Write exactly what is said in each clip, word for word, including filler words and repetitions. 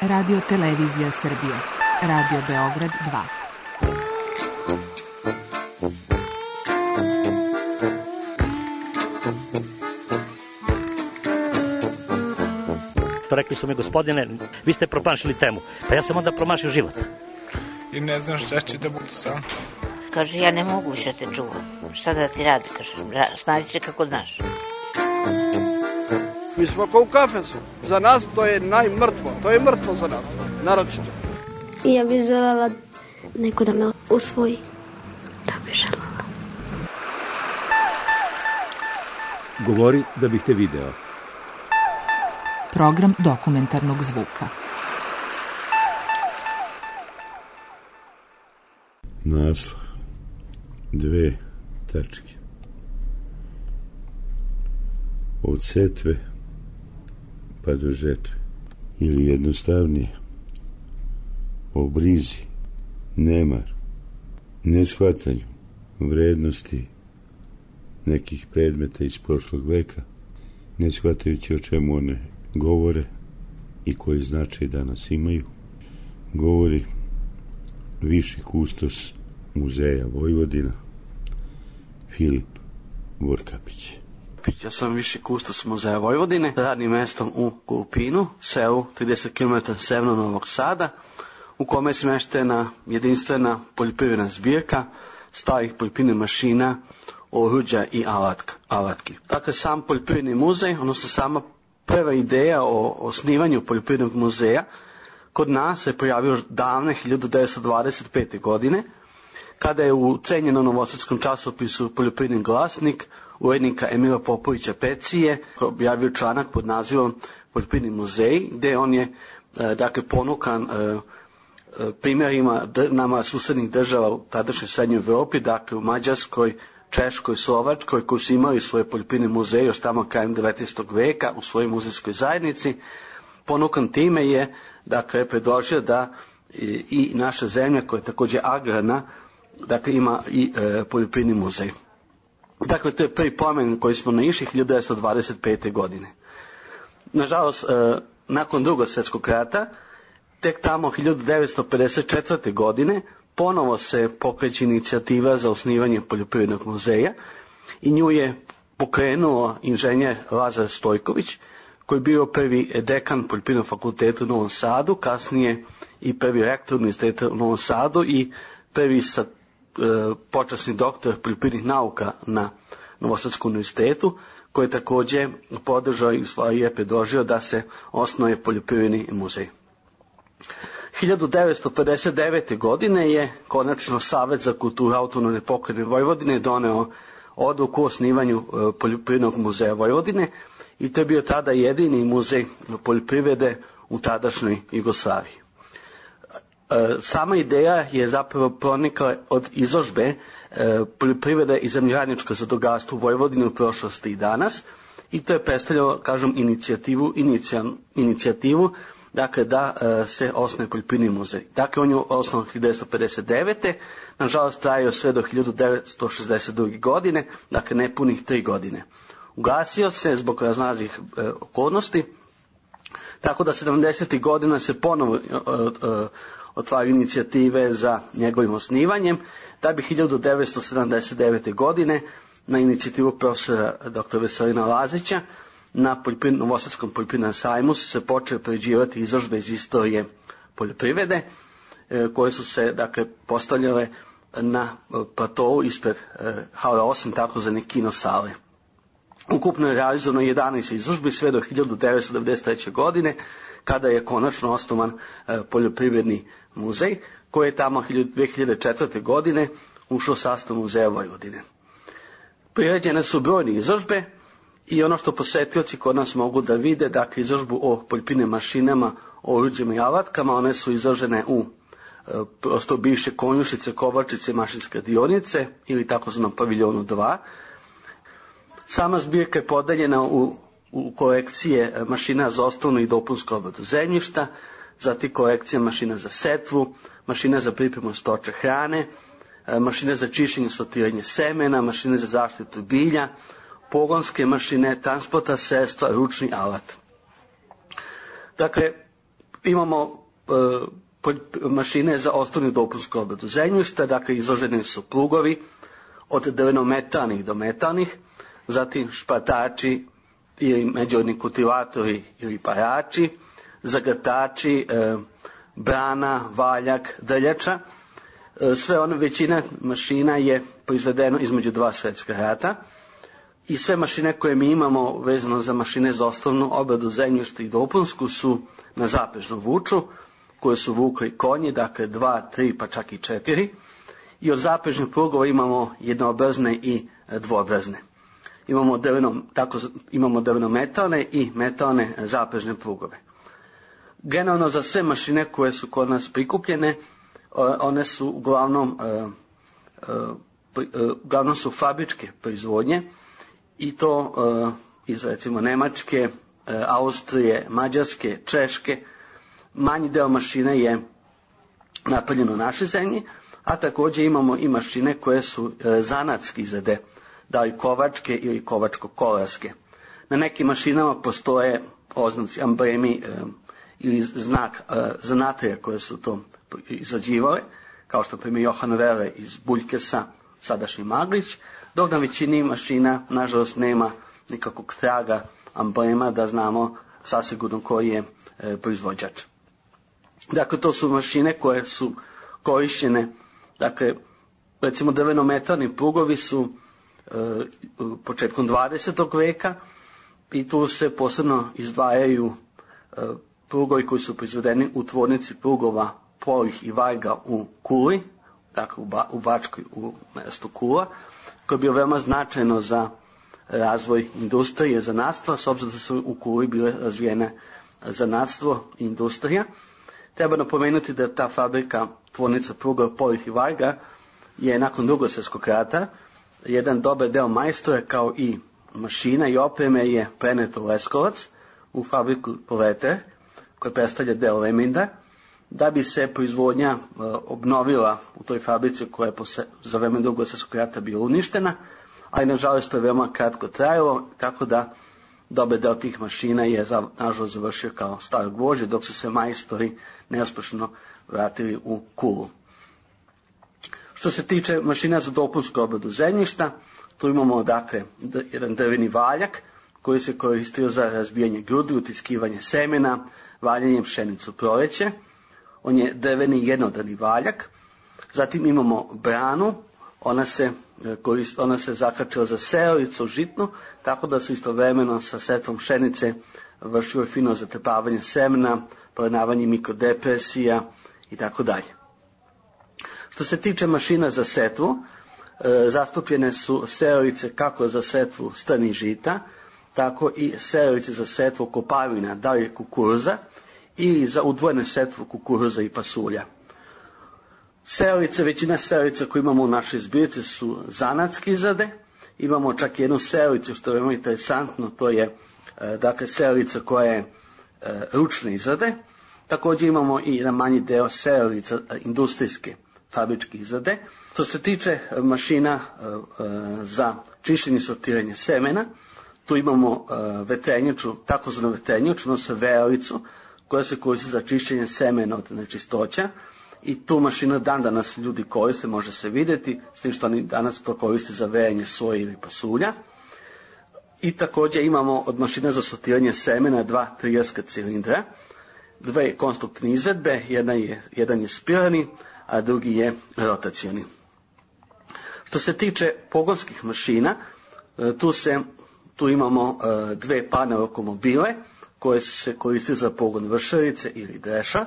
Radio Televizija Srbije, Radio Beograd dva. Rekli su mi, gospodine, vi ste promašili temu. Pa ja sam onda promašio život. I ne znam šta će da budu sam. Kaže, ja ne mogu više te čuvam. Šta da ti radi, kaže, snađi se kako znaš. Mi smo kao u kafesu. Za nas to je najmrtvo. To je mrtvo za nas, naročito. Ja bih želela neko da me usvoji. Da bih želela. Govori da bih te video. Program dokumentarnog zvuka. Naslov. Dve tačke. Od setve pa do žetve. Ili jednostavnije. O brizi, nemar, neshvatanju vrednosti nekih predmeta iz prošlog veka, ne shvatajući o čemu one govore i koji značaj danas imaju, govori viši kustos Muzeja Vojvodina Filip Vorkapić. Ja sam viši kustos Muzeja Vojvodine, radnim mestom u Kulpinu, selu trideset kilometara severno Novog Sada, u kome je smeštena jedinstvena poljoprivredna zbirka starih poljoprivrednih mašina, oruđa i alatka, alatki. Dakle, sam poljoprivredni muzej, odnosno sama prva ideja o osnivanju poljoprivrednog muzeja kod nas se pojavio davne hiljadu devetsto dvadeset pete. godine, kada je u cenjenom novosadskom časopisu Poljoprivredni glasnik urednika Emila Popovića Pecije objavio članak pod nazivom Poljoprivredni muzej, gde on je dakle ponukan primjerima nama susednih država u tadašnjoj srednjoj Evropi, dakle u Mađarskoj, Češkoj, Slovačkoj, koji su imali svoje poljoprivredne muzeje još tamo krajem devetnaestog veka u svojoj muzejskoj zajednici. Ponukan time je, dakle, predložio da i, i naša zemlja, koja je također agrarna, dakle, ima i e, poljoprivredni muzej. Dakle, to je prvi pomen koji smo naišli hiljadu devetsto dvadeset pete. godine. Nažalost, e, nakon Drugog svjetskog rata, tek tamo hiljadu devetsto pedeset četvrte. godine ponovo se pokreće inicijativa za osnivanje poljoprivrednog muzeja i nju je pokrenuo inženjer Lazar Stojković, koji je bio prvi dekan poljoprivrednog fakulteta u Novom Sadu, kasnije i prvi rektor univerziteta u Novom Sadu i prvi sa, e, počasni doktor poljoprivrednih nauka na Novosadskom univerzitetu, koji je također podržao i je predložio da se osnuje poljoprivredni muzej. hiljadu devetsto pedeset devete. godine je konačno Savet za kulturu autonomne pokrajine Vojvodine doneo odluku o osnivanju poljoprivrednog muzeja Vojvodine i to je bio tada jedini muzej poljoprivrede u tadašnjoj Jugoslaviji. Sama ideja je zapravo pronikla od izložbe poljoprivrede i zemljoradničko zadrugarstvo u Vojvodini u prošlosti i danas i to je predstavljalo, kažem, inicijativu, inicijal, inicijativu dakle da e, se osnuje poljoprivredni muzej. Dakle, on je osnovan hiljadu devetsto pedeset devete. Nažalost, trajao sve do hiljadu devetsto šezdeset druge. godine, dakle nepunih tri godine. Ugasio se zbog raznoraznih e, okolnosti, tako da sedamdesetih godina se ponovo e, e, otvaraju inicijative za njegovim osnivanjem, da bi hiljadu devetsto sedamdeset devete. godine na inicijativu profesora doktora Veselina Lazića na Novosadskom poljoprivrednom sajmu su se počele priređivati izložbe iz istorije poljoprivrede, e, koje su se, dakle, postavljale na platovu ispred e, hale osam, takozvane kino sale. Ukupno je realizovano jedanaest izložbi sve do hiljadu devetsto devedeset treće. godine, kada je konačno osnovan e, poljoprivredni muzej, koji je tamo dve hiljade četvrte. godine ušao u sastav Muzeja Vojvodine. Priređene su brojne izložbe i ono što posetioci kod nas mogu da vide, dakle, izložbu o poljoprivrednim mašinama, o oruđima i alatkama, one su izložene u e, prosto bivše konjušice, kovačice, mašinske radionice ili takozvanom paviljonu dva. Sama zbirka je podeljena u, u kolekcije mašina za osnovnu i dopunsku obradu zemljišta, zatim kolekcija mašina za setvu, mašina za pripremu stočne hrane, mašine za čišćenje i sortiranje semena, mašine za zaštitu bilja, pogonske mašine, transporta sredstva, ručni alat. Dakle, imamo e, mašine za osnovnu dopunsku obradu zemljišta, dakle izloženi su plugovi od drvenometalnih do metalnih, zatim špatači ili međurodni kultivatori ili parači, zagrtači, e, brana, valjak, drljača. E, sve one, većina mašina je proizvedeno između dva svjetska rata i sve mašine koje mi imamo vezano za mašine za osnovnu obradu zemljišta i dopunsku su na zaprežnu vuču, koje su vukli konji, dakle dva, tri pa čak i četiri. I od zaprežnih plugova imamo jednoobrazne i dvoobrazne. Imamo drveno, tako, imamo drvenometalne i metalne zaprežne plugove. Generalno za sve mašine koje su kod nas prikupljene, one su uglavnom, uglavnom su fabričke proizvodnje i to iz recimo Nemačke, Austrije, Mađarske, Češke. Manji deo mašine je napravljeno u našoj zemlji, a također imamo i mašine koje su zanatske izrade, da li kovačke ili kovačko-kolarske. Na nekim mašinama postoje oznaci, amblemi e, ili znak e, zanatlija koje su to izrađivale, kao što primjer Johan Vele iz Buljkesa, sadašnji Maglić, dok na većini mašina, nažalost, nema nikakvog traga amblema da znamo sasigurno koji je e, proizvođač. Dakle, to su mašine koje su korišćene, dakle, recimo drvenometalni plugovi su e, početkom dvadesetog veka i tu se posebno izdvajaju e, plugovi koji su proizvedeni u tvornici plugova Polih i Varga u Kuli, dakle u, ba, u Bačkoj, u mjestu Kula, koje je bilo veoma značajno za razvoj industrije, zanatstva, s obzirom da su u Kuli bile razvijene zanatstvo i industrija. Treba napomenuti da ta fabrika, tvornica pruga Polih i Varga, je nakon Drugog svjetskog rata jedan dobar deo majstora kao i mašina i opreme je preneto u Leskovac, u fabriku Poleter, koja predstavlja deo Leminda, da bi se proizvodnja e, obnovila u toj fabrici koja je posle, za vreme Drugog svjetskog rata bila uništena, ali nažalost to je veoma kratko trajalo, tako da dobar deo tih mašina je nažalost završio kao staro gvožđe, dok su se majstori neuspješno vratili u Kulu. Što se tiče mašina za dopunsku obradu zemljišta, tu imamo dakle jedan drveni valjak koji se koristio za razbijanje grudi, utiskivanje semena, valjanjem pšenicu proleće. On je drveni jednodani valjak. Zatim imamo branu, ona se, korist, ona se zakačila za sejalicu žitnu, tako da se istovremeno sa setvom pšenice vršilo fino zatrpavanje semena, poravnavanje mikrodepresija i tako dalje. Što se tiče mašina za setvu, e, zastupljene su sejalice kako za setvu strnih žita, tako i sejalice za setvu kopavina, da li je kukuruza, ili za udvojenu setvu kukuruza i pasulja. Sejalice, većina sejalica koje imamo u našoj zbirci su zanatske izrade. Imamo čak jednu sejalicu što je veoma interesantno, to je e, dakle sejalica koja je e, ručne izrade. Također imamo i jedan manji deo sejalica e, industrijske fabričke izrade. Što se tiče mašina e, e, za čišćenje i sortiranje semena, tu imamo e, vetrenjaču, takozvanu vetrenjaču, odnosno vejalicu, koja se koristi za čišćenje semena od nečistoća. I tu mašinu dan danas ljudi koriste, može se vidjeti, s tim što oni danas to koriste za vejanje soje ili pasulja. I također imamo od mašina za sortiranje semena dva trijerska cilindra, dve konstruktivne izvedbe, jedan je, jedan je spiralni, a drugi je rotacioni. Što se tiče pogonskih mašina, tu, se, tu imamo dve parne lokomobile koje se koriste za pogon vršarice ili dreša.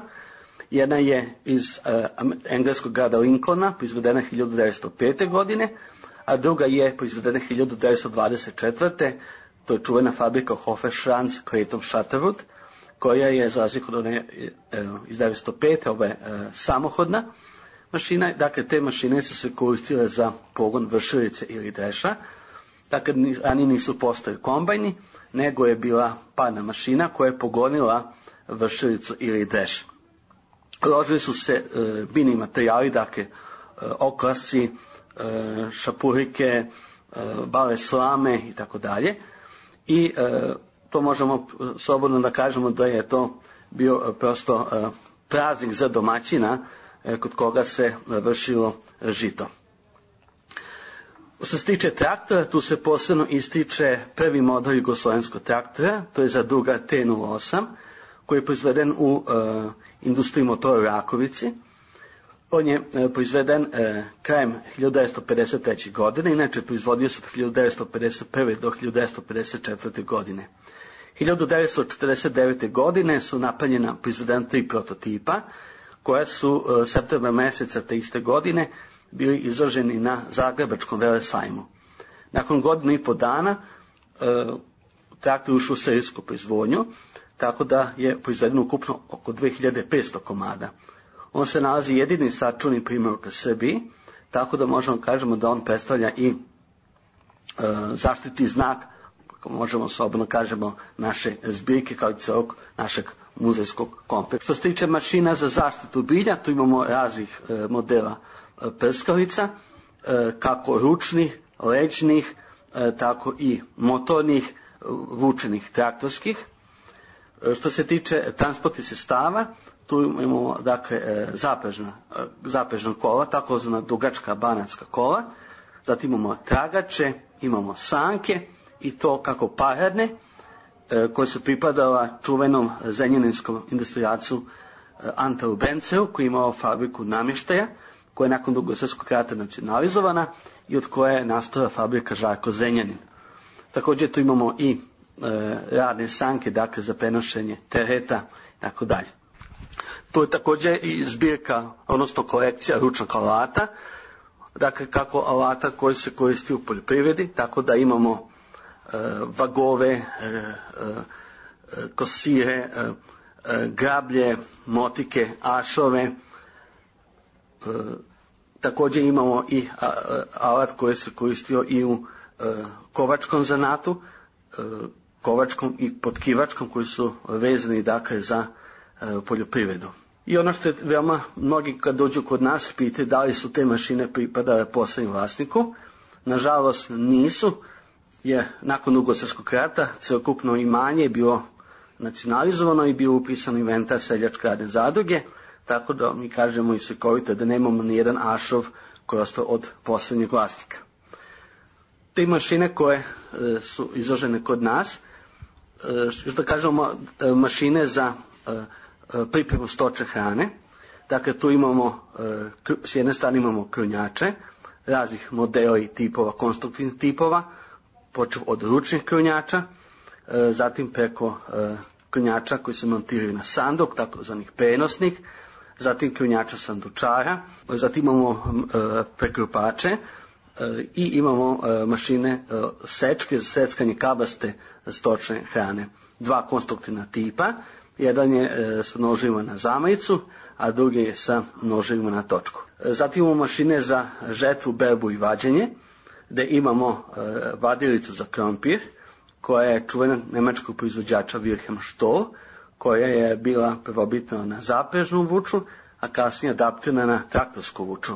Jedna je iz uh, engleskog grada Lincolna, proizvedena hiljadu devetsto pete. godine, a druga je proizvedena hiljadu devetsto dvadeset četvrte. To je čuvena fabrika Hofer-Schranz Clayton Shatterwood, koja je, za razliku od one uh, iz devetsto pete. ova je uh, samohodna mašina. Dakle, te mašine su se koristile za pogon vršarice ili dreša. Dakle, ani nisu postojali kombajni, nego je bila parna mašina koja je pogonila vršaricu ili dreš. Ložili su se e, biljni materijali, dakle, e, okrasci, e, šapurike, e, bale slame i tako dalje. I e, to možemo slobodno da kažemo da je to bio prosto praznik za domaćina kod koga se vršilo žito. Što se tiče traktora, tu se posebno ističe prvi model jugoslovenskog traktora, to je Zadruga T nula osam, koji je proizveden u uh, industriji motora u Rakovici. On je uh, proizveden uh, krajem hiljadu devetsto pedeset treće. godine, inače proizvodio se od hiljadu devetsto pedeset prve. do hiljadu devetsto pedeset četvrte. godine. hiljadu devetsto četrdeset devete. godine su napravljena proizvedena tri prototipa, koja su uh, septembra meseca te iste godine bili izloženi na Zagrebačkom velesajmu. Nakon godinu i po dana uh, traktor ušao u serijsku proizvodnju, tako da je proizvedeno ukupno oko dve hiljade petsto komada. On se nalazi jedini sačuvani primjerak u Srbiji, tako da možemo kažemo da on predstavlja i e, zaštitni znak, možemo slobodno kažemo, naše zbirke kao i celog našeg muzejskog kompleksa. Što se tiče mašina za zaštitu bilja, tu imamo raznih e, modela e, prskalica, e, kako ručnih, leđnih, e, tako i motornih, vučenih traktorskih. Što se tiče transportnih sredstava, tu imamo dakle zaprežna, zaprežna kola, takozvana dugačka banatska kola, zatim imamo tragače, imamo sanke i to kako paradne, koje su pripadala čuvenom zrenjaninskom industrijalcu Anteu Benceu, koji je imao fabriku namještaja, koja je nakon Drugog svjetskog rata nacionalizovana i od koje je nastala fabrika Žarko Zrenjanin. Također tu imamo i e, radne sanke, dakle za prenošenje tereta i tako dalje. Tu je također i zbirka, odnosno kolekcija ručnog alata, dakle kako alata koji se koristi u poljoprivredi, tako da imamo e, vagove, e, e, kosire, e, e, grablje, motike, ašove. E, također imamo i a, a, alat koji se koristio i u e, kovačkom zanatu, e, kovačkom i potkivačkom, koji su vezani dakle za e, poljoprivredu. I ono što je veoma, mnogi kad dođu kod nas pitaju da li su te mašine pripadale poslednjem vlasniku. Nažalost nisu, jer nakon Drugog svjetskog rata celokupno imanje je bilo nacionalizovano i bio upisan inventar seljačke radne zadruge, tako da mi kažemo i slikovito da nemamo ni jedan ašov koji je ostao od poslednjeg vlasnika. Te mašine koje e, su izložene kod nas, e, što da kažemo, e, mašine za e, pripremu stočne hrane. Dakle, tu imamo, e, s jedne strane imamo krunjače, raznih modela i tipova, konstruktivnih tipova, počeo od ručnih krunjača, e, zatim preko e, krunjača koji se montiraju na sanduk, takozvanih prenosnih, zatim krunjača sandučara, zatim imamo e, prekrupače e, i imamo e, mašine e, sečke za seckanje kabaste stočne hrane. Dva konstruktivna tipa, jedan je e, sa nožima na zamajicu, a drugi je sa nožima na točku. E, zatim imamo mašine za žetvu, berbu i vađenje, gde imamo e, vadilicu za krompir, koja je čuvena nemačkog proizvođača Wilhelm Stoll, koja je bila prvobitno na zaprežnu vuču, a kasnije adaptirana na traktorsku vuču.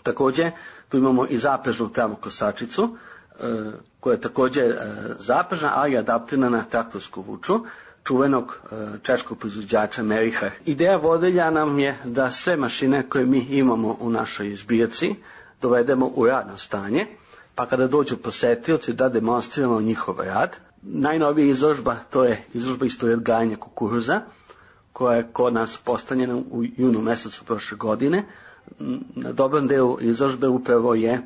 Također, tu imamo i zaprežnu travokosačicu, e, koja je također e, zaprežna, ali adaptirana na traktorsku vuču, čuvenog e, češkog proizvođača Mericher. Ideja vodilja nam je da sve mašine koje mi imamo u našoj zbirci dovedemo u radno stanje, pa kada dođu posetioci da demonstriramo njihov rad. Najnovija izložba, to je izložba istorije odgajanja kukuruza, koja je kod nas postavljena u junu mesecu prošle godine. Na dobrom delu izložbe upravo je,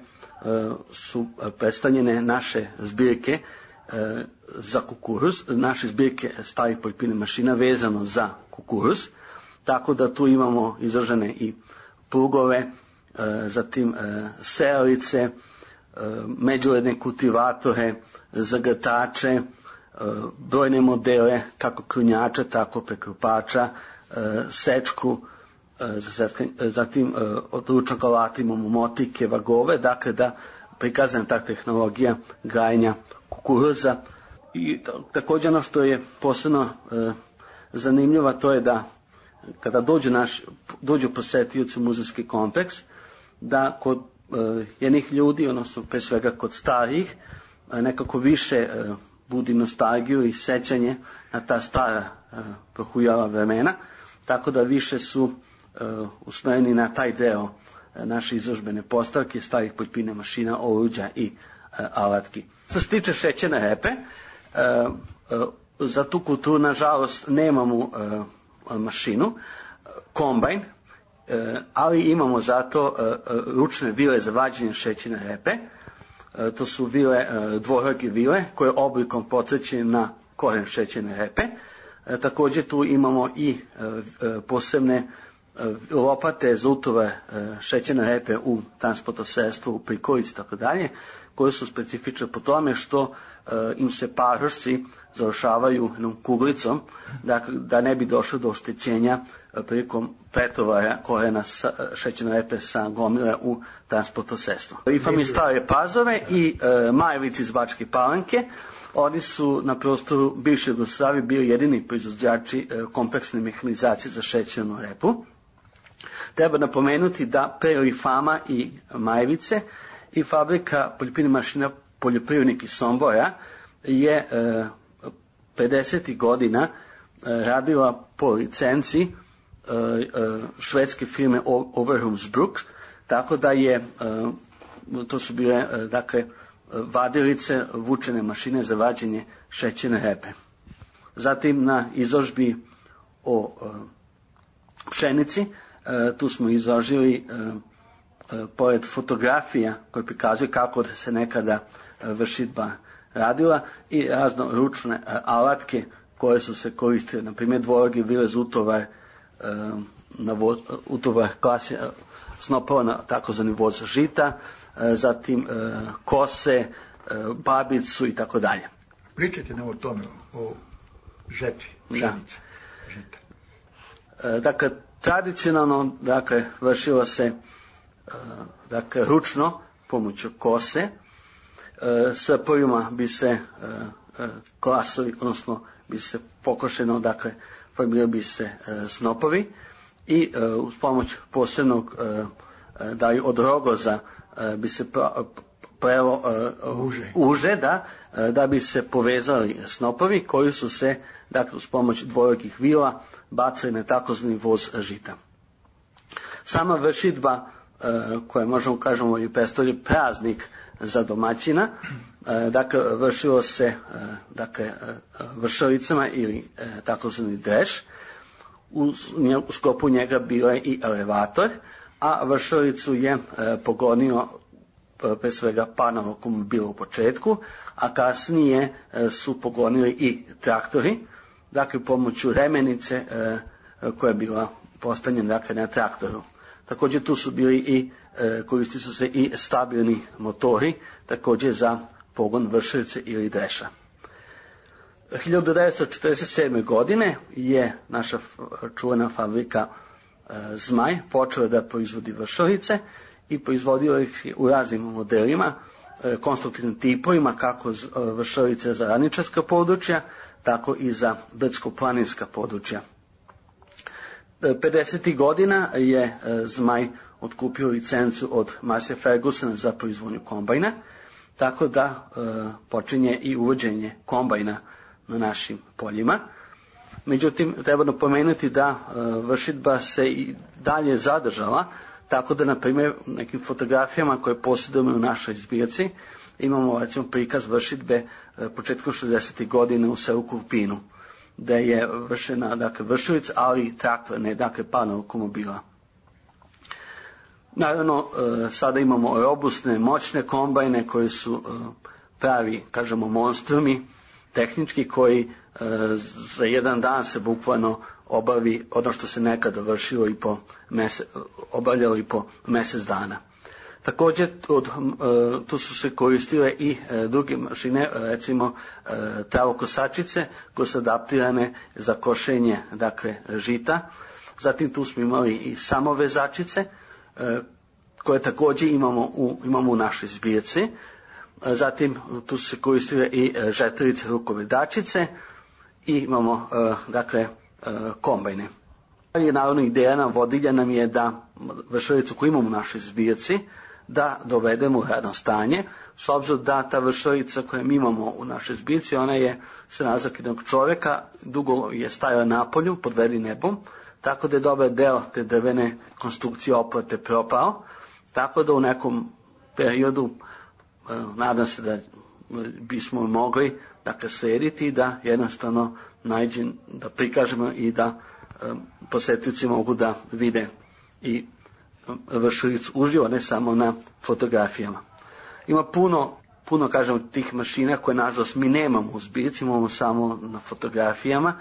su predstavljene naše zbirke za kukuruz, naše zbirke starih poljoprivrednih mašina vezano za kukuruz, tako da tu imamo izložene i plugove, zatim sejalice, međuredne kultivatore, zagrtače, brojne modele kako krunjača, tako prekrupača, sečku, zatim od ručnog alata imamo motike, vagove, dakle da prikazana ta tehnologija gajenja kukuruza. I također ono što je posebno zanimljivo, to je da kada dođu, naš, dođu posetioci u muzejski kompleks, da kod jednih ljudi, odnosno pre svega kod starih, nekako više budi nostalgiju i sećanje na ta stara prohujala vremena, tako da više su usmjereni na taj deo naše izložbene postavke, starih poljoprivrednih mašina, oruđa i alatki. Što se tiče šećerne repe, za tu kulturu, nažalost, nemamo mašinu, kombajn, ali imamo zato ručne vile za vađenje šećerne repe. To su vile, dvoruke vile, koje oblikom podsjećaju na koren šećerne repe. Također tu imamo i posebne lopate za utovar šećerne repe u transportosredstvu, u prikolici i tako dalje, koje su specifične po tome što im se parošci završavaju jednom kuglicom, da, da ne bi došlo do oštećenja prilikom pretovara korena šećerne repe sa gomile u transportosredstvo. Ifam iz Stare Pazove i e, Majevici iz Bačke Palanke. Oni su na prostoru bivše Jugoslavije bili jedini proizvođači e, kompleksne mehanizacije za šećernu repu. Treba napomenuti da pre Ifama i Majevice i fabrika poljoprivrednih mašina Poljoprivrednik iz Sombora je e, pedesetih godina e, radila po licenci e, e, švedske firme Overholmsbruk, tako da je e, to su bile e, dakle vadilice, vučene mašine za vađenje šećerne repe. Zatim na izložbi o e, pšenici e, tu smo izložili e, e, pored fotografija koje prikazuju kako se nekada e, vršidba radila i razno ručne e, alatke koje su se koristile, na primjer dvoruke vile za utovar, e, na voz, utovar klasi, e, snopova na takozvani voz žita, e, zatim e, kose, e, babicu i tako dalje. Pričajte nam o tome, o žetvi, pšenice, žita. E, dakle, tradicionalno, dakle, vršilo se e, dakle, ručno pomoću kose. E, sa prvima bi se e, e, klasovi, odnosno bi se pokošeno, dakle, formirali bi se e, snopovi i e, uz pomoć posebnog e, da od rogoza e, bi se plelo e, uže, uže da, e, da bi se povezali snopovi koji su se, dakle, uz pomoć dvorukih vila bacali na takozvani voz žita. Sama vršidba e, koja možemo kažemo i predstavlja praznik za domaćina, e, dakle vršilo se e, dakle e, vršalicama ili e, takozvani dreš. U, u sklopu njega bio je i elevator, a vršalicu je e, pogonio e, pre svega pan automobil u početku, a kasnije e, su pogonili i traktori, dakle pomoću remenice e, koja je bila postavljena, dakle, na traktoru. Također tu su bili i e, koristili su se i stabilni motori, također za pogon vršalice ili dreša. hiljadu devetsto četrdeset sedme. godine je naša čuvena fabrika e, Zmaj počela da proizvodi vršalice i proizvodio ih u raznim modelima, e, konstruktivnim tipovima, kako z, e, vršalice za ravničarska područja, tako i za brdsko-planinska područja. E, pedesetih godina je e, Zmaj otkupio licencu od Massey Fergusona za proizvodnju kombajna, tako da e, počinje i uvođenje kombajna na našim poljima. Međutim, treba napomenuti da e, vršidba se i dalje zadržala, tako da, na primjer, u nekim fotografijama koje posjedujemo u našoj zbirci imamo, recimo, prikaz vršidbe e, početkom šezdesetih godina u selu Kurpinu, gde je vršena, dakle, vršilica, ali i traktor, ne, dakle, pan automobila. Naravno, e, sada imamo robustne, moćne kombajne koji su e, pravi, kažemo, monstrumi, tehnički, koji e, za jedan dan se bukvalno obavi ono što se nekada vršilo i po mese, obavljalo i po mjesec dana. Također od, e, tu su se koristile i e, druge mašine, recimo e, travokosačice koje su adaptirane za košenje, dakle, žita. Zatim tu smo imali i samovezačice e, koje također imamo u, imamo u našoj zbirci. Zatim tu su se koristile i žetelice, rukovedačice i imamo, dakle, kombajne. I naravno ideja nam vodilja nam je da vršalicu koju imamo u našoj zbirci, da dovedemo u radno stanje, s obzirom da ta vršalica koju mi imamo u našoj zbirci, ona je se nalazak jednog čovjeka, dugo je stajala na polju pod vedrim nebom, tako da je dobar deo te drvene konstrukcije oplate propao, tako da u nekom periodu nadam se da bismo mogli dakle srediti i da jednostavno nađem, da prikažemo i da um, posetioci mogu da vide i um, vršalicu uživo, ne samo na fotografijama. Ima puno, puno kažemo tih mašina koje nažalost mi nemamo u zbirci, imamo samo na fotografijama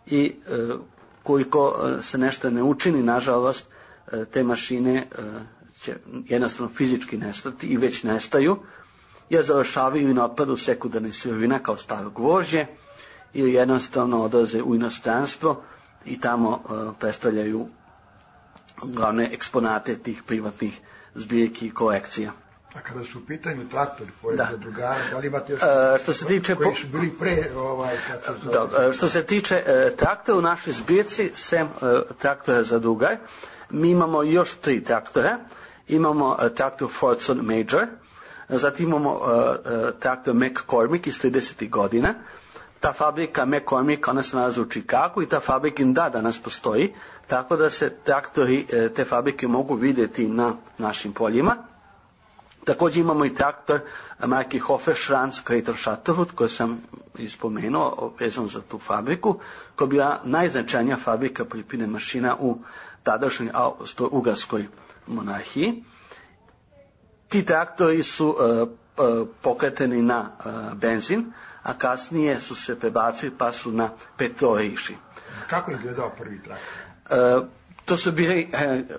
i uh, koliko uh, se nešto ne učini, nažalost uh, te mašine uh, će jednostavno fizički nestati i već nestaju, jer završavaju i na otpadu sekundarne sirovina kao staro gvožđe ili jednostavno odlaze u inostranstvo i tamo uh, predstavljaju glavne eksponate tih privatnih zbirki i kolekcija. A kada su u pitanju traktori koji da. za drugara, da li imate još uh, što se tiče koji su bili pre ovaj, kako se da, uh, što se tiče uh, traktora u našoj zbirci, sem uh, traktora za drugar, mi imamo još tri traktora. Imamo uh, traktor Fordson Major, zatim imamo uh, uh, traktor McCormick iz tridesetih godina. Ta fabrika McCormick, ona se nalazi u Chicagu i ta fabrika da danas postoji, tako da se traktori uh, te fabrike mogu vidjeti na našim poljima. Također imamo i traktor marke Hofer Schranz Krater Shutterwood, koji sam ispomenuo, vezano za tu fabriku, koja je bila najznačajnija fabrika poljoprivrednih mašina u tadašnjoj Austro-Ugarskoj monarhiji. Ti traktori su uh, uh, pokreteni na uh, benzin, a kasnije su se prebacili pa su na petrol išli. Kako je izgledao prvi traktor? Uh, to su bili uh,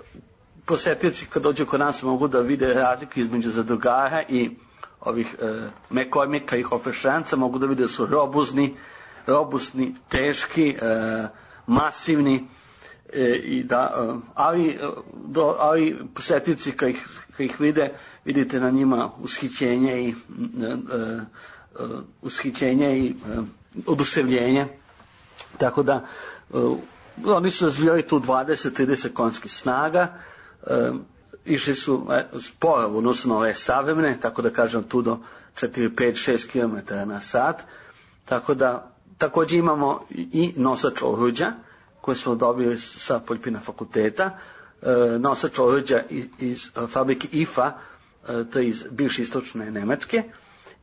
posetioci kad dođu kod nas mogu da vide razliku između zadrugara i ovih uh, McCormicka i Hofer Schranza, mogu da vide da su robuzni, robustni, teški, uh, masivni, E, i da, ali, do, ali posetioci kad ih, kad ih vide, vidite na njima ushićenje i uh, uh, ushićenje i uh, oduševljenje, tako da uh, oni su razvijali tu dvadeset do trideset konjskih snaga, uh, išli su uh, sporo u odnosu na ove savremene, tako da kažem tu do četiri, pet, šest kilometara na sat, tako da također imamo i nosač oruđa koje smo dobili sa poljoprivrednog fakulteta, e, nosač oruđa iz, iz fabrike I F A, e, to je iz bivše istočne Nemačke,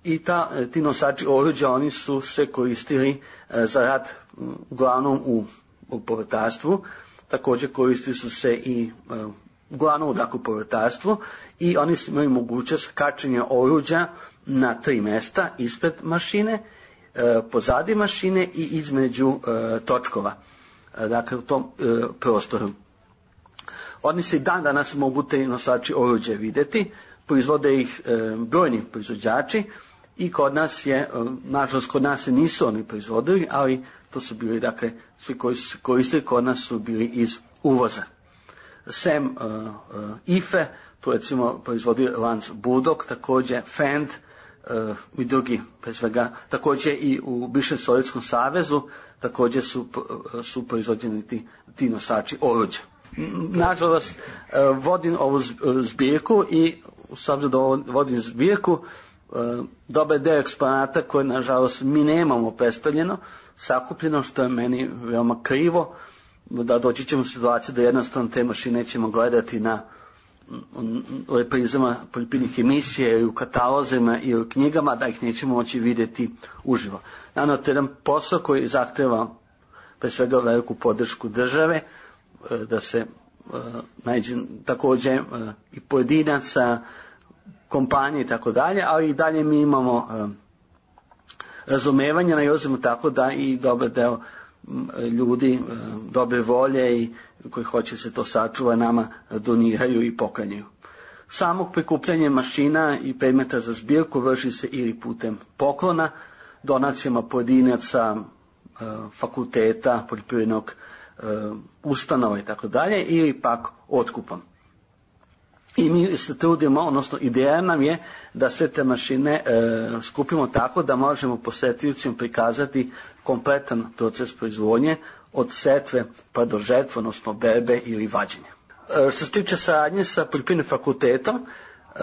i ta, e, ti nosači oruđa, oni su se koristili e, za rad uglavnom u, u povrtarstvu, također koristili su se i e, uglavnom u dakle, povrtarstvu i oni su imali mogućnost kačenja oruđa na tri mesta, ispred mašine, e, pozadi mašine i između e, točkova. Dakle u tom e, prostoru. Oni se i dan danas mogu te nosači oruđe vidjeti, proizvode ih e, brojni proizvođači i kod nas je, e, nažalost kod nas se nisu oni proizvodili, ali to su bili, dakle, svi koji su se koristili kod nas su bili iz uvoza. Sem e, e, I F E, tu recimo proizvodio Lance Bulldog, također Fend e, i drugi, pre svega, također i u bivšem Sovjetskom savezu, također su, su proizvođeni ti, ti nosači oruđa. Nažalost, vodim ovu zbirku i s obzirom da vodim zbirku, dobar deo eksponata koje nažalost mi nemamo predstavljeno, sakupljeno, što je meni veoma krivo, da doći ćemo u situaciju da jednostavno te mašine ćemo gledati na u reprizama poljoprivrednih emisija i u katalozima i u knjigama, da ih nećemo moći vidjeti uživo. Naravno, to je jedan posao koji zahteva pre svega veliku podršku države, da se uh, nađe također uh, i pojedinaca, kompanije i tako dalje, ali i dalje mi imamo uh, razumevanja, nailazimo tako da i dobar deo um, ljudi uh, dobre volje i koji hoće se to sačuva nama doniraju i poklanjaju. Samog prikupljanja mašina i predmeta za zbirku vrši se ili putem poklona, donacijama pojedinaca, fakulteta, poljoprivrednog ustanova i tako dalje, ili pak otkupom. I mi se trudimo, odnosno ideja nam je da sve te mašine e, skupimo tako da možemo posetiocima prikazati kompletan proces proizvodnje od setve pa do žetve, odnosno berbe ili vađenja. E, što se tiče saradnje sa poljoprivrednim fakultetom, e,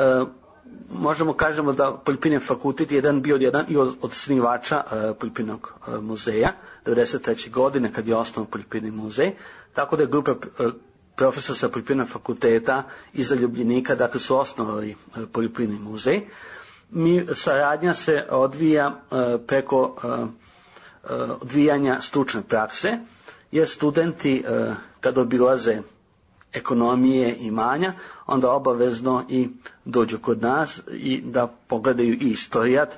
možemo kažemo da Poljoprivredni fakultet je jedan bio jedan i od, od snivača uh, Poljoprivrednog uh, muzeja devedeset treće godine kad je osnovan Poljoprivredni muzej, tako da je grupa uh, profesora sa Poljoprivrednog fakulteta iz Ljubljenika, dakle su osnovali uh, Poljoprivredni muzej. Mi, saradnja se odvija uh, preko uh, uh, odvijanja stručne prakse, jer studenti uh, kad obilaze ekonomije i imanja, onda obavezno i dođu kod nas i da pogledaju i istorijat.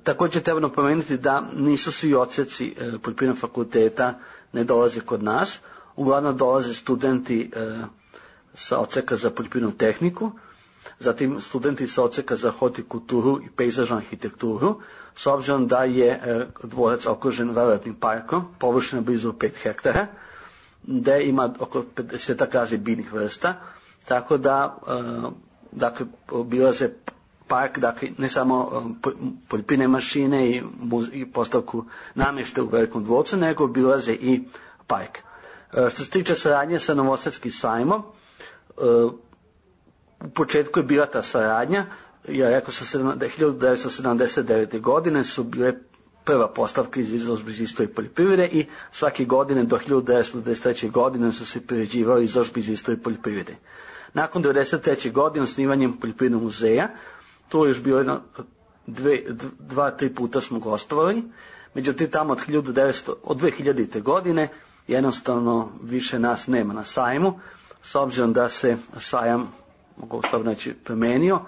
Također treba napomenuti da nisu svi odseci e, Poljoprivrednog fakulteta ne dolaze kod nas, uglavnom dolaze studenti e, sa odseka za poljoprivrednu tehniku, zatim studenti sa odseka za hortikulturu i pejzažnu arhitekturu, s obzirom da je e, dvorac okružen velelepnim parkom, površina blizu pet hektara, gde ima oko pedeset raznih biljnih vrsta, tako da uh, dakle, obilaze park, dakle, ne samo uh, poljoprivredne mašine i, i postavku namještaja u velikom dvorcu, nego obilaze i park. Uh, što se tiče saradnje sa Novosadskim sajmom, uh, u početku je bila ta saradnja, ja rekao sam da hiljadu devetsto sedamdeset devete godine su bile prva postavka iz izložbe iz istorije poljoprivrede i svake godine do hiljadu devetsto devedeset treće godine su se priređivali izložbe iz istorije poljoprivrede. Nakon devedeset treće godine osnivanjem Poljoprivrednog muzeja, to je još bilo jedno, dve, dva, tri puta smo gostovali, međutim tamo od, hiljadu devetsto, od dve hiljadite godine jednostavno više nas nema na sajmu, s obzirom da se sajam, mogu sad reći, promenio,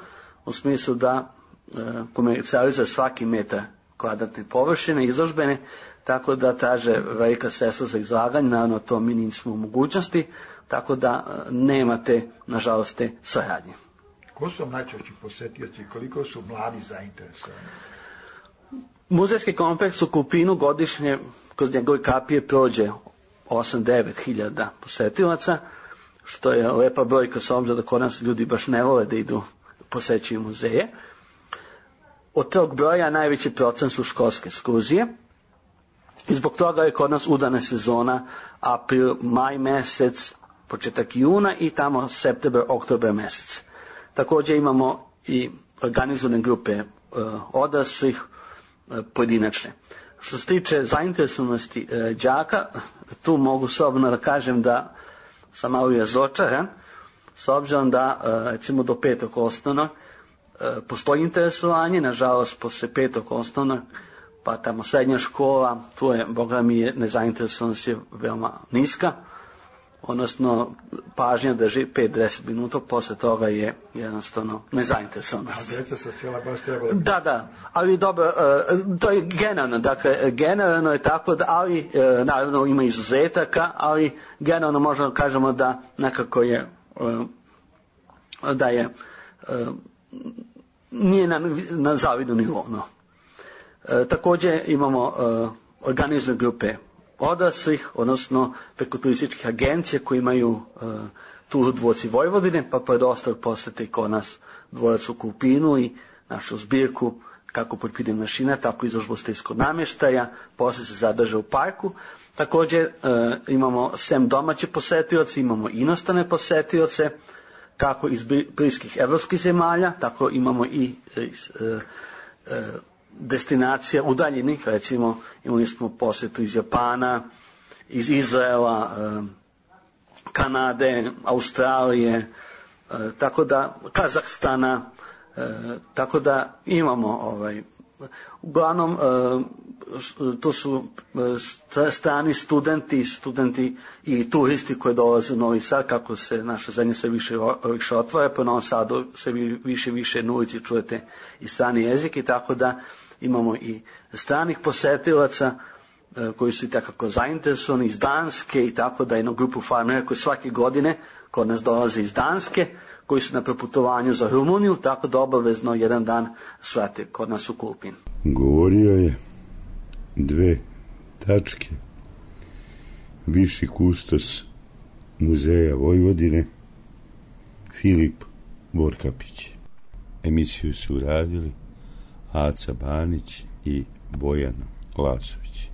u smislu da e, komercijalizuje svaki metar kvadratne površine izložbene, tako da traže velika sredstva za izlaganje, naravno to mi nismo u mogućnosti, tako da nemate, nažalost, te saradnje. Ko su najčešći posetioci, koliko su mladi zainteresovani? Muzejski kompleks u Kulpinu godišnje kroz njegove kapije prođe osam do devet hiljada posetilaca, što je lepa brojka s obzirom da kod nas ljudi baš ne vole da idu posećuju muzeje. Od tog broja najveći procent su školske ekskurzije i zbog toga je kod nas udana sezona april, maj mesec, početak juna i tamo september, oktober mesec. Također imamo i organizovane grupe e, odraslih, e, pojedinačne. Što se tiče zainteresovanosti e, đaka, tu mogu slobodno da kažem da sam malo razočaran, s obzirom da e, recimo do petog osnovnog postoji interesovanje, nažalost posle petog osnovnog, pa tamo srednja škola, tu je, boga mi je, nezainteresovanost je veoma niska, odnosno pažnja drži pet do deset minuta, posle toga je jednostavno nezainteresovanost. A djeca sa sela baš trebali... Da, da, ali dobro, to je generalno, dakle, generalno je tako, da, ali naravno ima izuzetaka, ali generalno možemo kažemo da nekako je, da je nije na, na zavidnom nivou. No. E, također imamo e, organizovane grupe odraslih, odnosno preko turističkih agencija koji imaju e, tur u dvorci Vojvodine, pa pored ostalog posete kod nas dvorac u Kulpinu i našu zbirku kako poljoprivredne mašina, tako izložbu stilskog namještaja, posle se zadrže u parku. Također e, imamo sem domaće posetioce, imamo inostrane posetioce, kako iz bliskih evropskih zemalja, tako imamo i iz, e, e, destinacija udaljenih, recimo imali smo posjetu iz Japana, iz Izraela, e, Kanade, Australije, e, tako da Kazahstana, e, tako da imamo ovaj, uglavnom e, to su strani studenti, studenti i turisti koji dolaze u Novi Sad, kako se naša zemlja sve više, više otvara, po Novom Sadu sve više više na ulici čujete i strani jezik i tako da imamo i stranih posetilaca koji su i takako zainteresovani iz Danske i tako da jednu grupu farmera koji svake godine kod nas dolaze iz Danske, koji su na preputovanju za Rumuniju, tako da obavezno jedan dan svrate kod nas u Kulpin. Govorio je dve tačke. Viši kustos Muzeja Vojvodine Filip Vorkapić. Emisiju su uradili Aca Banić i Bojan Lazović.